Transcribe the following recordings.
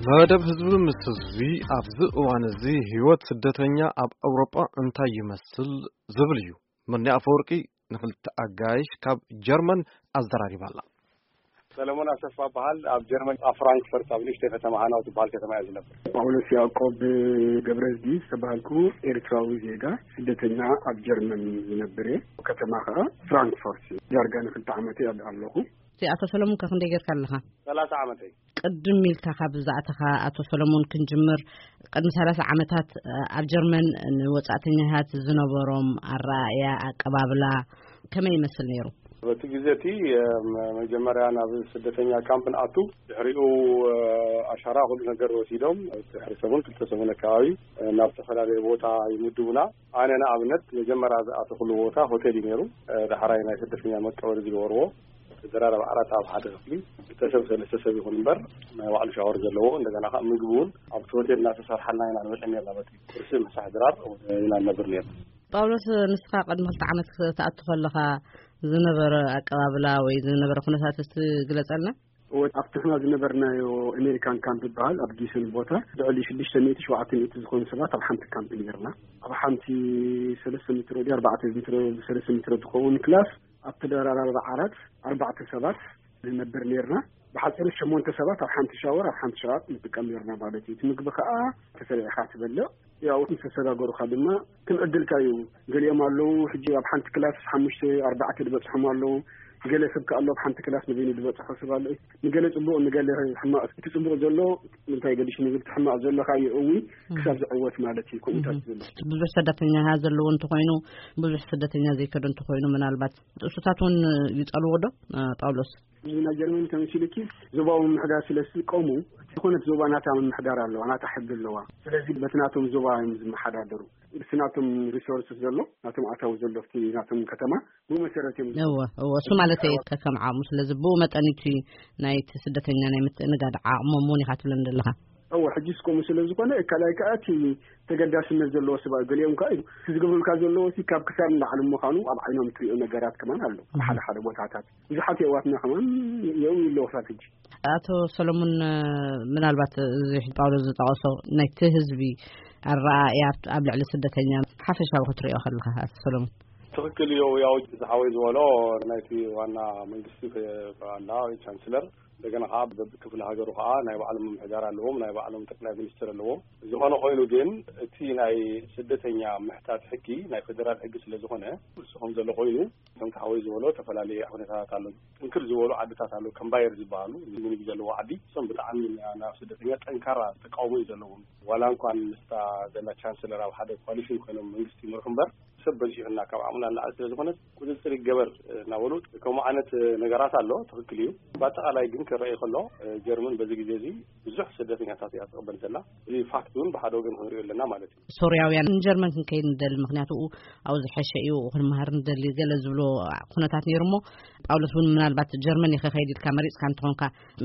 መደብ ህዝቢ ምስ ህዝቢ ኣብዚ እዋን እዚ ህይወት ስደተኛ ኣብ ኣውሮጳ እንታይ ይመስል ዝብል እዩ። መኒ ኣፈወርቂ ንክልተ ኣጋይሽ ካብ ጀርመን ኣዘራሪባ ኣላ። ሰለሞን ኣሰፋ በሃል። ኣብ ጀርመን ኣብ ፍራንክፈርት ኣብ ንእሽተይ ከተማ ሃናው ትበሃል ከተማ እየ ዝነብር። ጳውሎስ ያዕቆብ ገብረዝጊ ዝተባሃልኩ ኤርትራዊ ዜጋ ስደተኛ ኣብ ጀርመን ዝነብር እየ። ከተማ ከዓ ፍራንክፈርት እዩ። ዳርጋ ንክልተ ዓመት እየ ኣለኹ። እቲ ኣቶ ሰለሙን ከ ክንደይ ጌርካ ኣለኻ? ሰላሳ ዓመተይ። ቅድም ኢልካ ካብ ዝኣተኻ ኣቶ ሰለሙን ክንጅምር። ቅድሚ ሰላሳ ዓመታት ኣብ ጀርመን ንወጻእተኛታት ዝነበሮም ኣረኣእያ፣ ኣቀባብላ ከመይ ይመስል ነይሩ? በቲ ግዜ እቲ መጀመርያ ናብ ስደተኛ ካምፕ ንኣቱ፣ ድሕሪኡ ኣሻራ ኩሉ ነገር ወሲዶም ድሕሪ ሰሙን ክልተ ሰሙን ኣከባቢ ናብ ዝተፈላለየ ቦታ ይምድቡና። ኣነ ንኣብነት መጀመርያ ዝኣተኹሉ ቦታ ሆቴል እዩ ነይሩ። ዳሕራይ ናይ ስደተኛ መቀበሊ ዝገበርዎ፣ ተደራረብ ዓራት ኣብ ሓደ ክፍሊ ክልተ ሰብ ሰለስተ ሰብ ይኹን እምበር ናይ ባዕሉ ሻወር ዘለዎ፣ እንደገና ከዓ ምግቢ እውን ኣብቲ ሆቴል እናተሰርሓልና ኢና ንበልዕ ነርና። በቲ ቁርሲ ምሳሕ ድራር ኢና ንነብር ነርና። ጳውሎስ፣ ንስኻ ቅድሚ ክልተ ዓመት ክትኣቱ ከለኻ ዝነበረ ኣቀባብላ ወይ ዝነበረ ኩነታት እስቲ ግለጸልና። እወ፣ ኣብቲ ንሕና ዝነበርናዮ ኣሜሪካን ካምፕ ዝበሃል ኣብ ጊሰን ቦታ ልዕሊ ሽዱሽተ ሚእቲ ሸውዓተ ሚእቲ ዝኾኑ ሰባት ኣብ ሓንቲ ካምፕ ነርና። ኣብ ሓንቲ ሰለስተ ሜትሮ ድዩ ኣርባዕተ ሜትሮ፣ ሰለስተ ሜትሮ ትኸውን ክላስ ኣብ ተደራራቢ ዓራት ኣርባዕተ ሰባት ንነብር ነርና። ብሓፂሩ ሸሞንተ ሰባት ኣብ ሓንቲ ሻወር ኣብ ሓንቲ ሻወር ንጥቀም ነርና ማለት እዩ። እቲ ምግቢ ከዓ ተሰሪዕኻ ትበልዕ። ያው ምስ ተሰጋገሩኻ ድማ ከም ዕድልካ እዩ። ገሊኦም ኣለዉ ሕጂ ኣብ ሓንቲ ክላስ ሓሙሽተ ኣርባዕተ ዝበፅሖም ኣለዉ። ገለ ሰብ ከ ኣሎ ኣብ ሓንቲ ክላስ ንበይኑ ዝበፅሖ ሰብ ኣሎ። ንገለ ፅቡቕ ንገለ ሕማቕ። እቲ ፅቡቕ ዘሎ እንታይ ገዲሽ ንብል፣ እቲ ሕማቕ ዘሎ ከዓ ይእዊ ክሳብ ዝዕወት ማለት እዩ። ከምኡታት ዝብል ብዙሕ ስደተኛታት ዘለዎ እንተኾይኑ፣ ብዙሕ ስደተኛ ዘይከዶ እንተኾይኑ፣ ምናልባት ጥሱታት እውን ይጸልዎ ዶ? እ፣ ጳውሎስ? እዚ ናይ ጀርመን ተመሲሉኪ ዞባዊ ምምሕዳር ስለ ዝጥቀሙ፣ ዝኾነት ዞባ ናታ ምምሕዳር ኣለዋ፣ ናታ ሕጊ ኣለዋ። ስለዚ በቲ ናቶም ዞባ እዮም ዝመሓዳደሩ። እቲ ናቶም ሪሶርስ ዘሎ፣ ናቶም ኣታዊ ዘሎ ኣብቲ ናቶም ከተማ ብኡ መሰረት እዮም። እወ፣ እወ፣ እሱ ማለት እየ። ከከም ዓቕሙ፣ ስለዚ ብኡ መጠን እቲ ናይቲ ስደተኛ ናይ ምትእንጋድ ዓቕሞም እውን ኢኻ ትብለኒ ዘለኻ። እወ፣ ሕጂ እስከሙ ስለ ዝኾነ፣ ካልኣይ ከኣ እቲ ተገዳስነት ዘለዎ ሰብኣይ ገሊኦም ከኣ እዩ። እቲ ዝገብሩልካ ዘለዎ እቲ ካብ ክሳድ ንላዕሊ ምዃኑ ኣብ ዓይኖም ትሪኦ ነገራት ከማን ኣሎ። ሓደ ሓደ ቦታታት ብዙሓት የዋትና ከማን እዮም ይለወሳት ሕጂ። ኣቶ ሰለሙን፣ ምናልባት እዚ ጳውሎስ ዝጠቐሶ ናይቲ ህዝቢ ኣረኣእያ ኣብ ልዕሊ ስደተኛ ሓፈሻዊ ክትሪኦ ከለኻ፣ ኣቶ ሰለሙን? ትኽክል እዩ። ያው ዝሓወይ ዝበሎ ናይቲ ዋና መንግስቲ ኣላ ወይ ቻንስለር፣ እንደገና ከዓ በብክፍለ ሃገሩ ከዓ ናይ ባዕሎም ምምሕዳር ኣለዎም፣ ናይ ባዕሎም ጠቅላይ ሚኒስትር ኣለዎም። ዝኾነ ኮይኑ ግን እቲ ናይ ስደተኛ ምሕታት ሕጊ ናይ ፌደራል ሕጊ ስለ ዝኾነ፣ ንሱ ከም ዘሎ ኮይኑ፣ ከም ተሓወይ ዝበሎ ዝተፈላለየ ኩነታት ኣሎ። ጥንክር ዝበሉ ዓድታት ኣሎ፣ ከም ባየር ዝበሃሉ፣ ምኒግ ዘለዎ ዓዲ፣ እሶም ብጣዕሚ ናብ ስደተኛ ጠንካራ ተቃውሞ እዩ ዘለዎም። ዋላ እንኳን ምስታ ዘላ ቻንስለር ኣብ ሓደ ኮሊሽን ኮይኖም መንግስቲ ይምርሑ እምበር፣ ሰብ በዚሑና ካብ ዓቕምና ንላዕሊ ስለ ዝኾነ ቁፅፅር ይገበር እናበሉ ከምኡ ዓይነት ነገራት ኣሎ። ትኽክል እዩ። ብኣጠቓላይ ግን ክረኣይ ከሎ ጀርመን በዚ ግዜ እዚ ብዙሕ ስደተኛታት እያ ትቕበል ዘላ። እዚ ፋክት እውን ብሓደ ወገን ክንሪኦ ኣለና ማለት እዩ። ሶርያውያን ንጀርመን ክንከይድ ንደሊ፣ ምኽንያቱ ኣብኡ ዝሐሸ እዩ፣ ክንመሃር ንደሊ ገለ ዝብሎ ኩነታት ነይሩ እሞ፣ ጳውሎስ እውን ምናልባት ጀርመን ኢኻ ከይድ ኢልካ መሪፅካ እንተኾንካ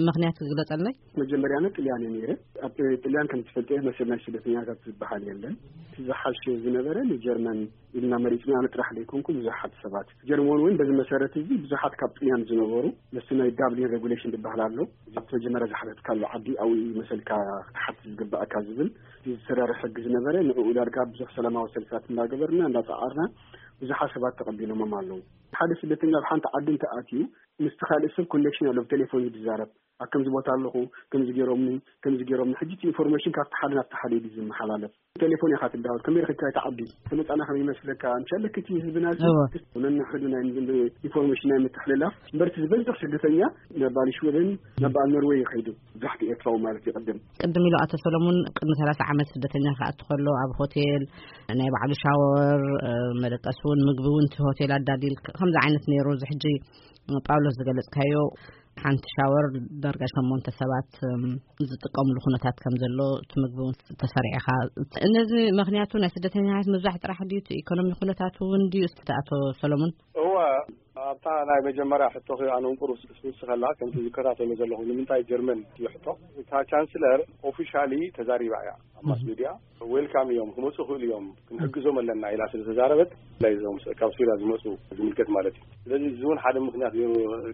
ምኽንያት ግለፀለይ። መጀመርያ ጥልያን እየ ነይረ። ኣብ ጥልያን ከም ትፈልጥዮ መሰል ናይ ስደተኛታት ዝበሃል የለን። እቲ ዝሓሸ ዝነበረ ንጀርመን ኢልና መሪፅና። ኣነ ጥራሕ ዘይኮንኩ ብዙሓት ሰባት ጀርመን እውን በዚ መሰረት እዚ ብዙሓት ካብ ጥልያን ዝነበሩ ምስቲ ናይ ዳብሊን ሬጉሌሽን ዝበሃል ኣሎ። ኣብቲ መጀመርያ ዝሓተትካሉ ዓዲ ኣብኡ እዩ መሰልካ ክትሓት ዝግባእካ ዝብል እቲ ዝሰራርሕ ሕጊ ዝነበረ። ንዕኡ ዳርጋ ብዙሕ ሰላማዊ ሰልፍታት እናገበርና እናፀዓርና ብዙሓት ሰባት ተቐቢሎሞም ኣለዉ። ሓደ ስደተኛ ኣብ ሓንቲ ዓዲ እንተኣትዩ ምስቲ ካልእ ሰብ ኮኔክሽን ኣሎ፣ ብቴሌፎን እዩ ዝዛረብ። ኣብ ከምዚ ቦታ ኣለኹ፣ ከምዚ ገይሮምኒ፣ ከምዚ ገይሮምኒ። ሕጂ እቲ ኢንፎርሜሽን ካብቲ ሓደ ናብቲ ሓደ እዩ ዝመሓላለፍ። ቴሌፎን ኢኻ ትዳወል፣ ከመይ ረኺብካ እቲ ዓዲ? እቲ መጻና ከመይ ይመስለካ? ምሻለክ እቲ ህዝብና እዚ እወ። ነንሕዱ ናይ ምንድን ኢንፎርሜሽን ናይ ምትሕልላፍ። እምበር እቲ ዝበዝሕ ስደተኛ ናብ በዓል ሽወደን፣ ናብ በዓል ኖርዌይ ይኸይዱ። ብዙሕ ኤርትራዊ ማለት ይቕድም። ቅድም ኢሉ ኣቶ ሰለሙን ቅድሚ ሰላሳ ዓመት ስደተኛ ክኣቱ ከሎ ኣብ ሆቴል ናይ ባዕሉ ሻወር፣ እ፣ መደቀሲ እውን ምግቢ እውን እቲ ሆቴል ኣዳሊል ከምዚ ዓይነት ነይሩ። እዚ ሕጂ ጳውሎስ ዝገለጽካዮ ሓንቲ ሻወር ዳርጋ ሸሞንተ ሰባት፣ እም፣ ዝጥቀምሉ ኩነታት ከም ዘሎ፣ እቲ ምግቢ እውን ተሰሪዕኻ። ነዚ ምኽንያቱ ናይ ስደተኛታት ምብዛሕ ጥራሕ ድዩ፣ እቲ ኢኮኖሚ ኩነታት እውን ድዩ? እስቲ ኣቶ ሰሎሞን። እወ፣ ኣብ ናይ መጀመርያ ሕቶኺ ኣነ እንቁር ውስኸላ ከምቲ ዝከታተሎ ዘለኹ ንምንታይ ጀርመን እዩ ሕቶ። እታ ቻንስለር ኦፊሻሊ ተዛሪባ እያ ኣብ ማስ ሚድያ። ዌልካም እዮም፣ ክመፁ ይኽእሉ እዮም፣ ክንሕግዞም ኣለና ኢላ ስለ ተዛረበት፣ ናይ እዞም ካብ ሱሪያ ዝመፁ ዝምልከት ማለት እዩ። ስለዚ እዚ እውን ሓደ ምክንያት እዩ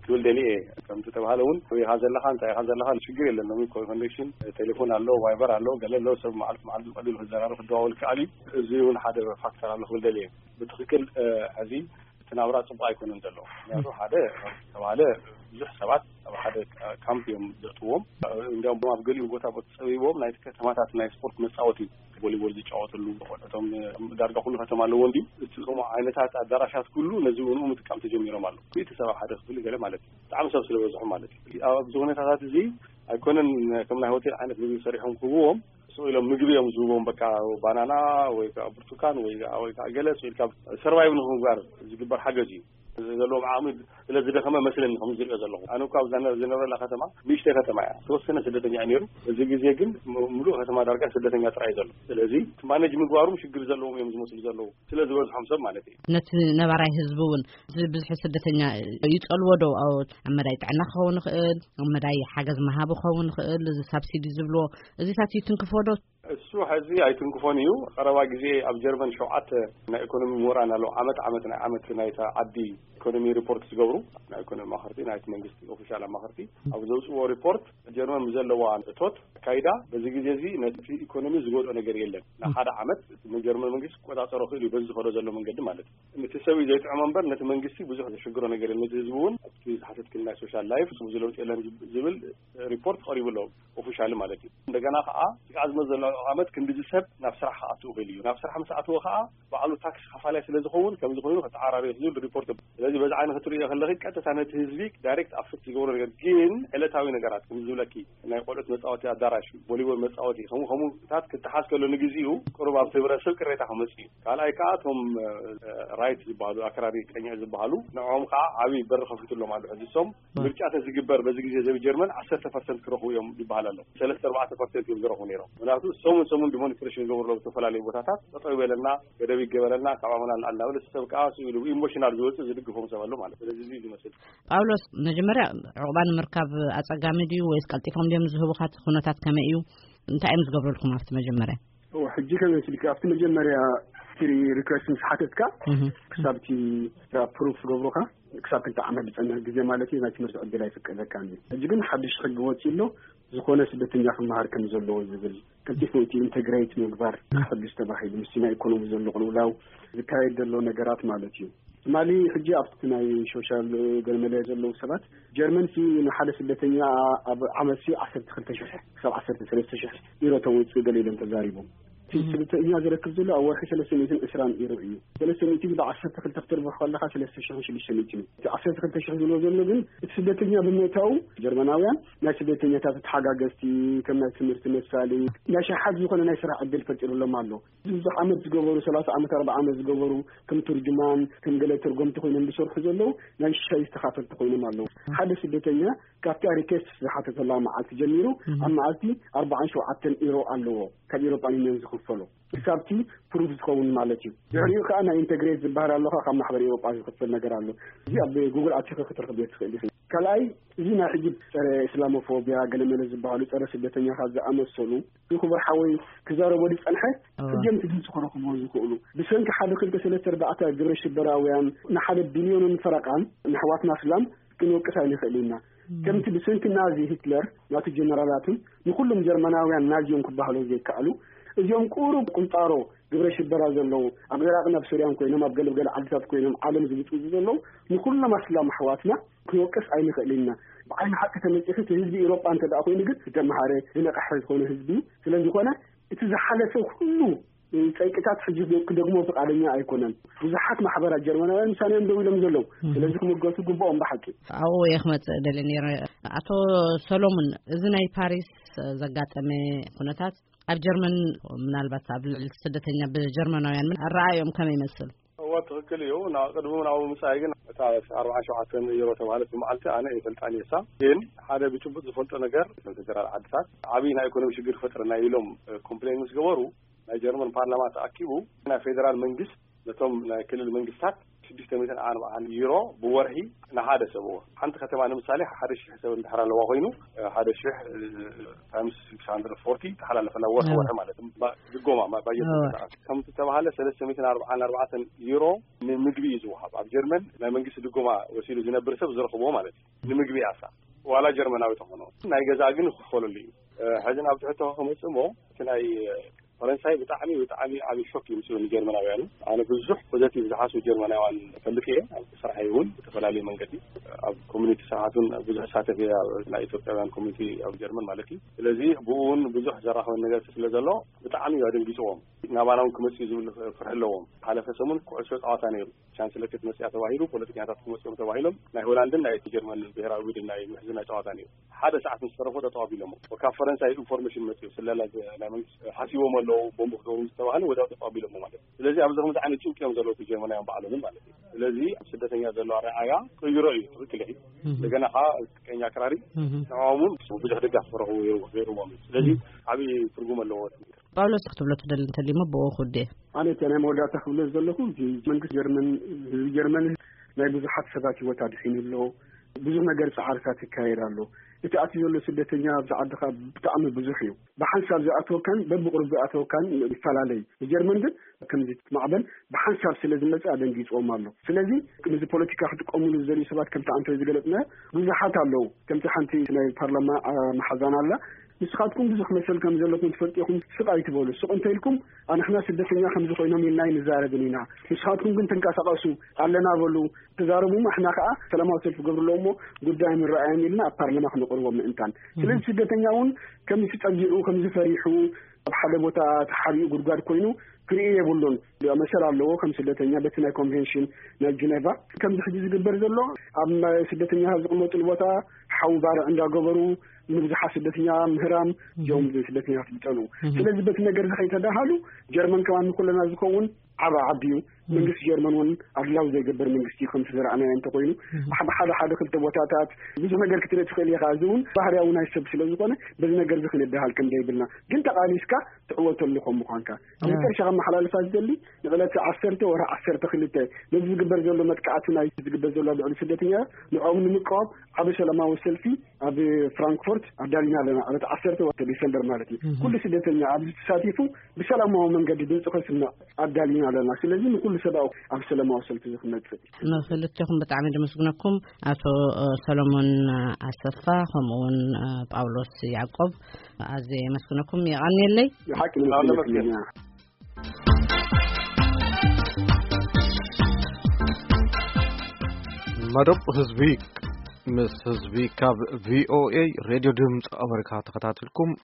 ክብል ደልየ እየ። ከምቲ ተባሃለ እውን ኣበይ ኢኻ ዘለኻ፣ እንታይ ኢኻ ዘለኻ፣ ሽግር የለን። ሎሚ ኮ-፣ ኮኔክሽን ቴሌፎን ኣሎ፣ ቫይበር ኣሎ፣ ገለ ኣሎ፣ ሰብ መዓልቲ መዓልቲ ብቐሊሉ ክዘራረብ ክደዋወል ይከኣል እዩ። እዚ እውን ሓደ ፋክተር ኣሎ ክብል ደልየ እየ። ብትኽክል ሕዚ እቲ ናብራ ፅቡቅ ኣይኮነን ዘሎ። ምክንያቱ ሓደ ተባሃለ ብዙሕ ሰባት ኣብ ሓደ ካምፕ እዮም ዘእትዎም። እንዲያውም ኣብ ገሊኡ ቦታ ጸቢቦም ናይቲ ከተማታት ናይ ስፖርት መጻወቲ፣ ቮሊቦል ዝጫወትሉ፣ ቆልዑቶም ዳርጋ ኩሉ ከተማ ኣለዎ እንዲ። እቲ ከምኡ ዓይነታት ኣዳራሻት ኩሉ ነዚ እውን ምጥቃም ተጀሚሮም ኣለዉ። እቲ ሰብ ኣብ ሓደ ክፍሊ ገለ ማለት እዩ። ብጣዕሚ ሰብ ስለ በዝሑ ማለት እዩ። ኣብዚ ኩነታታት እዚ ኣይኮነን ከም ናይ ሆቴል ዓይነት ምግቢ ሰሪሖም ክህብዎም፣ ስቕ ኢሎም ምግቢ እዮም ዝህብዎም። በቃ ባናና ወይ ከዓ ብርቱካን ወይ ከዓ፣ ወይ ከዓ ገለ ስቕ ኢልካ ሰርቫይቭ ንክንጓር ዝግበር ሓገዝ እዩ። ዘለዎም ዓቕሚ ስለ ዝደኸመ መስለኒ ከም ዝሪኦ ዘለኹ። ኣነ እኳ ኣብዛ ዝነብረላ ከተማ ንእሽተይ ከተማ እያ፣ ተወሰነ ስደተኛ እዩ ነይሩ። እዚ ግዜ ግን ም-፣ ምሉእ ከተማ ዳርጋ ስደተኛ ጥራይ እዩ ዘሎ። ስለዚ እቲ ማኔጅ ምግባሩም ሽግር ዘለዎም እዮም ዝመስሉ ዘለዉ፣ ስለ ዝበዝሖም ሰብ ማለት እዩ። ነቲ ነባራይ ህዝቢ እውን እዚ ብዝሒ ስደተኛ ይጸልዎ ዶ? ኣብ መዳይ ጥዕና ክኸውን ይኽእል፣ ኣብ መዳይ ሓገዝ መሃብ ክኸውን ይኽእል፣ እዚ ሳብሲዲ ዝብልዎ እዚታት ይትንክፎ ዶ? እሱ ሕዚ ኣይትንክፎን እዩ። ቀረባ ግዜ ኣብ ጀርመን ሸውዓተ ናይ ኢኮኖሚ ምሁራን ኣለዉ። ዓመት ዓመት ናይ ዓመት ናይታ ዓዲ ኢኮኖሚ ሪፖርት ዝገብሩ ናይ ኢኮኖሚ ኣማኸርቲ፣ ናይቲ መንግስቲ ኦፊሻል ኣማኸርቲ ኣብ ዘውፅዎ ሪፖርት ጀርመን ብዘለዋ እቶት ኣካይዳ በዚ ግዜ እዚ ነቲ ኢኮኖሚ ዝጎድኦ ነገር የለን። ንሓደ ዓመት እቲ ጀርመን መንግስቲ ክቆፃፀሮ ክእል እዩ በዚ ዝኸዶ ዘሎ መንገዲ ማለት እዩ። ነቲ ሰብ እዩ ዘይጥዕሞ እምበር ነቲ መንግስቲ ብዙሕ ዘሽግሮ ነገር የለን። ነቲ ህዝቢ እውን ኣብቲ ዝሓተትክን ናይ ሶሻል ላይፍ ብዙ ለውጢ የለን ዝብል ሪፖርት ቀሪቡ ኣሎ። ኦፊሻሊ ማለት እዩ። እንደገና ከዓ እቲ ዝመፅእ ዘሎ ዓመት ክንዲዚ ሰብ ናብ ስራሕ ክኣትው ክእል እዩ። ናብ ስራሕ ምስ ኣተወ ከዓ ባዕሉ ታክስ ከፋላይ ስለ ዝኸውን ከምዚ ኮይኑ ክተዓራረዮ ዝብል ሪፖርት ኣሎ። ስለዚ በዚ ዓይኒ ክትርእዮ ከለኺ ቀጥታ ነቲ ህዝቢ ዳይሬክት ኣፈክት ዝገብሮ ነገር ግን ዕለታዊ ነገራት ከም ዝብለኪ ናይ ቆልዑት መፃወቲ ኣዳራሽ፣ ቮሊቦል መፃወቲ ከምኡ ከምኡታት ክተሓዝ ከሎ ንግዚኡ ቅሩብ ኣብቲ ህብረተሰብ ቅሬታ ክመፅእ እዩ። ካልኣይ ከዓ እቶም ራይት ዝበሃሉ ኣክራሪ ቀኝዕ ዝበሃሉ ንዕኦም ከዓ ዓብዪ በሪ ከፊቱሎም ኣሎ። ሕዚ እሶም ምርጫ ተዝግበር በዚ ግዜ ዘቢ ጀርመን ዓሰርተ ፐርሰንት ክረኽቡ እዮም ይበሃል ኣሎ። ሰለስተ ኣርባዕተ ፐርሰንት እዮም ዝረኽቡ ነይሮም። ምክንያቱ ሰሙን ሰሙን ዲሞንስትሬሽን ይገብሩ ኣለዉ። ዝተፈላለዩ ቦታታት ጠጠው ይበለና፣ ገደብ ይገበረልና፣ ካብ ኣመና ንኣል እናበለ ሰብ ከዓ ስኡ ኢሉ ኢሞሽናል ዝወፅእ ዝድግፎም ሰብ ኣሎ ማለት። ስለዚ እዚ እዩ ዝመስል። ጳውሎስ፣ መጀመርያ ዕቑባ ንምርካብ ኣጸጋሚ ድዩ ወይስ ቀልጢፎም ድዮም ዝህቡኻ? እቲ ኩነታት ከመይ እዩ? እንታይ እዮም ዝገብሩልኩም ኣብቲ መጀመርያ? እዎ፣ ሕጂ ከመይ ስልኪ ኣብቲ መጀመርያ ሂስትሪ ሪኩዌስት ምስ ሓተትካ፣ እህ። ክሳብ እቲ ስራ ፕሩፍ ዝገብሩኻ፣ ክሳብ ክልተ ዓመት ዝጸንሕ ግዜ ማለት እዩ፣ ናይ ትምህርቲ ዕድል ኣይፍቀደካን እዩ። ሕጂ ግን ሓድሽ ሕጊ ወጺኡ ኣሎ፣ ዝኾነ ስደተኛ ክመሃር ከም ዘለዎ ዝብል፣ ቀልጢፉ እቲ ኢንተግሬት ምግባር፣ እህ። ክሕግዝ ተባሂሉ፣ ምስቲ ናይ ኢኮኖሚ ዘሎ ቅልውላው ዝካየድ ዘሎ ነገራት ማለት እዩ። ትማሊ ሕጂ ኣብቲ ናይ ሶሻል ገለመለ ዘለዉ ሰባት፣ ጀርመን ሲ ንሓደ ስደተኛ ኣብ ዓመት ሲ ዓሰርተ ክልተ ሽሕ ክሳብ ዓሰርተ ሰለስተ ሽሕ ዩሮ ተውፅእ ገለ ኢሎም ተዛሪቦም። እቲ እም። ስደተኛ ዝረክብ ዘሎ ኣብ ወርሒ ሰለስተ ሚእትን ዕስራን ዩሮ እዩ። ሰለስተ ሚእቲ ብዓሰርተ ክልተ ክትርብሕ ከለኻ ሰለስተ ሽሕን ሽዱሽተ ሚእትን እዩ። እቲ ዓሰርተ ክልተ ሽሕ ዝብሎ ዘሎ ግን እቲ ስደተኛ ብምእታዉ ጀርመናውያን ናይ ስደተኛታት ተሓጋገዝቲ፣ ከም ናይ ትምህርቲ መሳሊ፣ ናይ ሸሓት ዝኾነ ናይ ስራሕ ዕድል ፈጢሩሎም ኣሎ። ብዙሕ ዓመት ዝገበሩ፣ ሰላሳ ዓመት፣ ኣርብዓ ዓመት ዝገበሩ፣ ከም ቱርጅማን ከም ገለ ተርጎምቲ ኮይኖም ዝሰርሑ ዘለዉ ናይ ሻሂ ተኻፈልቲ ኮይኖም ኣለዉ። ሓደ ስደተኛ ካብቲ ሪኬስት ዝሓተተላ መዓልቲ ጀሚሩ እም። ኣብ መዓልቲ ኣርባዓን ሸውዓተን ኢሮ ኣለዎ ካብ ኤሮፓን ዩኒየን ዝኽፈሎ። ክሳብቲ ፕሩፍ ዝኸውን ማለት እዩ። ድሕሪኡ ከዓ ናይ ኢንተግሬት ዝበሃል ኣለኻ ካብ ማሕበር ኤሮጳ ዝኽፈል ነገር ኣሎ። እዚ ኣብ ጉግል ኣቲኻ ክትረኽብ ትኽእል ኢኺ። ካልኣይ፣ እዚ ናይ ሕጂ ጸረ እስላሞፎቢያ ገለመለ ዝበሃሉ ጸረ ስደተኛታት ዝኣመሰሉ፣ እዚ ክቡር ሓወይ ክዛረቦ ዝጸንሐ፣ እወ። ሕጂ እዮም እቲ ድምፂ ክረኽብዎ ዝኽእሉ። ብሰንኪ ሓደ ክልተ ሰለስተ ኣርባዕተ ግብረ ሽበራውያን ንሓደ ቢልዮንን ፈረቓን ንኣሕዋትና እስላም ክንወቅስ ኣይንኽእል ኢና። እም። ከምቲ ብሰንኪ ናዚ ሂትለር ናቱ ጀነራላትን ንኹሎም ጀርመናውያን ናዚ እዮም ክበሃሉ ዘይከኣሉ። እዚኦም ቁሩብ ቁንጣሮ ግብረ ሽበራ ዘለዉ ኣብ ኢራቕን ኣብ ሶርያን ኮይኖም ኣብ ገለገለ ዓድታት ኮይኖም ዓለም ዝብጥብጡ ዘለዉ ንኹሎም ኣስላም ኣሕዋትና ክንወቅስ ኣይንኽእል ኢና። ብዓይኒ ሓቂ ተመጺኺ እቲ ህዝቢ ኤውሮጳ እንተ ደኣ ኮይኑ ግን ዝተምሃረ ዝነቕሐ ዝኾነ ህዝቢ ስለ ዝኾነ እቲ ዝሓለፈ ኩሉ ጸይቅታት ሕጂ ክደግሞ ፍቓደኛ ኣይኮነን። ብዙሓት ማሕበራት ጀርመናውያን ምሳና እዮም ደው ኢሎም ዘለዉ። እም። ስለዚ ክምገቱ ግብኦም ብሓቂ። ኣብኡ እየ ክመጽእ ደልየ ነይረ። ኣቶ ሰሎሙን፣ እዚ ናይ ፓሪስ ዘጋጠመ ኩነታት ኣብ ጀርመን ምናልባት ኣብ ልዕሊ ስደተኛ ብጀርመናውያን ምን ኣረኣእዮም ከመይ ይመስል? እወ፣ ትኽክል እዩ። ናብ ቅድሚ ናብኡ ምጻይ ግን እታ ኣርባዓን ሸውዓተን ዩሮ ተባህለት ብመዓልቲ ኣነ ይፈልጣን እየ። እሳ ግን ሓደ ብጭቡጥ ዝፈልጦ ነገር፣ እተን ፌደራል ዓድታት ዓብዪ ናይ ኢኮኖሚ ሽግር ክፈጥረና ኢሎም ኮምፕሌን ምስ ገበሩ፣ ናይ ጀርመን ፓርላማ ተኣኪቡ ናይ ፌደራል መንግስት ነቶም ናይ ክልል መንግስታት ሽዱሽተ ሚእትን ኣርባዓን ዩሮ ብወርሒ ንሓደ ሰብ። እዎ፣ ሓንቲ ከተማ ንምሳሌ ሓደ ሽሕ ሰብ እንድሕር ኣለዋ ኮይኑ ሓደ ሽሕ ታይምስ ሽዱሽተ ሚእትን ኣርባዓን ተሓላለፈላ ወርሒ፣ ወርሒ ማለት ድጎማ ባጀት። ከምቲ ተባሃለ ሰለስተ ሚእትን ኣርባዓን ኣርባዕተን ዩሮ ንምግቢ እዩ ዝወሃብ። ኣብ ጀርመን ናይ መንግስቲ ድጎማ ወሲዱ ዝነብር ሰብ ዝረኽብዎ ማለት እዩ። ንምግቢ ኣሳ ዋላ ጀርመናዊ ተኾኖ ናይ ገዛ ግን ክኸለሉ እዩ። ሕዚ ናብ ትሕቶ ክመፅእ እሞ እቲ ናይ ፈረንሳይ ብጣዕሚ ብጣዕሚ ዓብዪ ሾክ እዩ ምስሉ ንጀርመናውያን። ኣነ ብዙሕ ፖዘቲቭ ዝሓስቡ ጀርመናውያን ፈልጥ እየ። ኣብ ስራሕ እውን ብተፈላለዩ መንገዲ ኣብ ኮሚኒቲ ስርዓቱን ብዙሕ ሳተፍ እየ፣ ናይ ኢትዮጵያውያን ኮሚኒቲ ኣብ ጀርመን ማለት እዩ። ስለዚ ብኡ እውን ብዙሕ ዘራኽበን ነገር ስለ ዘሎ ብጣዕሚ እዩ ኣደንጊፅዎም። ናባና እውን ክመፅእ እዩ ዝብል ፍርሒ ኣለዎም። ሓለፈ ሰሙን ኩዕሶ ፀዋታ ነይሩ። ቻንስለር ክትመፅያ ተባሂሉ ፖለቲካታት ክመፅኦም ተባሂሎም ናይ ሆላንድን ናይ ጀርመን ብሔራዊ ቡድን ናይ ምሕዝና ጨዋታ ነይሩ። ሓደ ሰዓት ምስ ተረፎ ጠጠው ኣቢሎሞ። ካብ ፈረንሳይ ኢንፎርሜሽን መፅኡ ስለላ ናይ መንግስቲ ሓሲቦም ኣለዉ ቦምብ ክገብሩ ዝተባህለ ወዲያው ጠጠው ኣቢሎሞ ማለት እዩ። ስለዚ ኣብዚ ከምዚ ዓይነት ጭንቂ እዮም ዘለዉ ጀርመናውያን ባዕሎም ማለት እዩ። ስለዚ ኣብ ስደተኛ ዘሎ ኣረኣያ ቀይሮ እዩ። ትክክል እዩ። እንደገና ከዓ ቀኝ ኣክራሪ ንዕኦም እውን ብዙሕ ደጋፍ ክረኽቡ ገይርዎም እዩ። ስለዚ ዓብዪ ትርጉም ኣለዎ። ጳውሎስ ክትብሎ ትደሊ እንተልዩሞ ብኡ ክውድእ። ኣነ እቲ ናይ መወዳእታ ክብሎ ዘለኹ እዚ መንግስቲ ጀርመን ህዝቢ ጀርመን ናይ ብዙሓት ሰባት ህይወት ኣድሒኑ ኣሎ። ብዙሕ ነገር ፃዕርታት ይካየድ ኣሎ። እቲ ኣትዩ ዘሎ ስደተኛ ኣብዚ ዓድኻ ብጣዕሚ ብዙሕ እዩ። ብሓንሳብ ዝኣተወካን በብቁሩብ ዝኣተወካን ይፈላለ እዩ። ንጀርመን ግን ከምዚ ማዕበል ብሓንሳብ ስለ ዝመፅእ ኣደንጊፅዎም ኣሎ። ስለዚ ነዚ ፖለቲካ ክጥቀሙሉ ዝደልዩ ሰባት ከምቲ ኣንተ ዝገለፅና ብዙሓት ኣለዉ። ከምቲ ሓንቲ ናይ ፓርላማ መሓዛን ኣላ። ንስኻትኩም ብዙሕ መሰል ከም ዘለኩም ትፈልጡ ኢኹም፣ ስቕ ኣይትበሉ። ስቕ እንተኢልኩም ኣንሕና ስደተኛ ከምዚ ኮይኖም ኢልና ኣይንዛረብን ኢና። ንስኻትኩም ግን ተንቀሳቐሱ ኣለና በሉ። ተዛረቡ። ኣሕና ከዓ ሰላማዊ ሰልፊ ገብሩ ኣለዎ እሞ ጉዳይ ምረኣየን ኢልና ኣብ ፓርላማ ክነቕርቦ ምእንታን። ስለዚ ስደተኛ እውን ከምዚ ጸጊዑ ከምዚ ፈሪሑ ኣብ ሓደ ቦታ ተሓቢኡ ጉድጓድ ኮይኑ ክርኢ የብሉን። መሰል ኣለዎ ከም ስደተኛ በቲ ናይ ኮንቬንሽን ናይ ጀኔቫ። ከምዚ ሕጂ ዝግበር ዘሎ ኣብ ስደተኛ ዝቕመጡሉ ቦታ ሓዊ ባርዕ እንዳገበሩ ንብዙሓት ስደተኛ ምህራም እዮም ስደተኛታት ዝጸልኡ። ስለዚ በቲ ነገር እዚ ከይተዳሃሉ ጀርመን ከማን ንኩለና ዝኸውን ዓቢ ዓዲ እዩ። መንግስቲ ጀርመን እውን ኣድላዊ ዘይገብር መንግስቲ እዩ። ከምቲ ዝረኣናዮ እንተኮይኑ ብሓ- ብሓደ ሓደ ክልተ ቦታታት ብዙሕ ነገር ክትርኢ ትኽእል ኢኻ። እዚ እውን ባህርያዊ ናይ ሰብ ስለ ዝኾነ በዚ ነገር እዚ ክንድሃል ከም ዘይብልና ግን ተቓሊስካ ትዕወተሉ ከም ምዃንካ ኣብ መጨረሻ ከመሓላልፋ ዝደሊ ንዕለት ዓሰርተ ወርሒ ዓሰርተ ክልተ ነዚ ዝግበር ዘሎ መጥቃዕቲ ናይ ዝግበር ዘሎ ልዕሊ ስደተኛ ንዕኦም ንምቅዋም ዓቢ ሰላማዊ ሰልፊ ኣብ ፍራንክፎርት ኣዳሊና ኣለና። ዕለት ዓሰርተ ወርሒ ዲሰምበር ማለት እዩ። ኩሉ ስደተኛ ኣብዚ ተሳቲፉ ብሰላማዊ መንገዲ ድምፁ ከስምዕ ኣዳሊና ኣለና። ስለዚ ንኩሉ ሰብኣዊ ኣብ ሰላማዊ ሰልፊ እዚ ክመፅእ ንክልቴኹም ብጣዕሚ ድምስግነኩም። ኣቶ ሰሎሞን ኣሰፋ ከምኡ እውን ጳውሎስ ያዕቆብ ኣዝየ የመስግነኩም። የቐንየለይ። ሓቂ ንመስግነኩም። መደብ ህዝቢ ምስ ህዝቢ ካብ ቪኦኤ ሬድዮ ድምፂ ኣመሪካ ተኸታትልኩም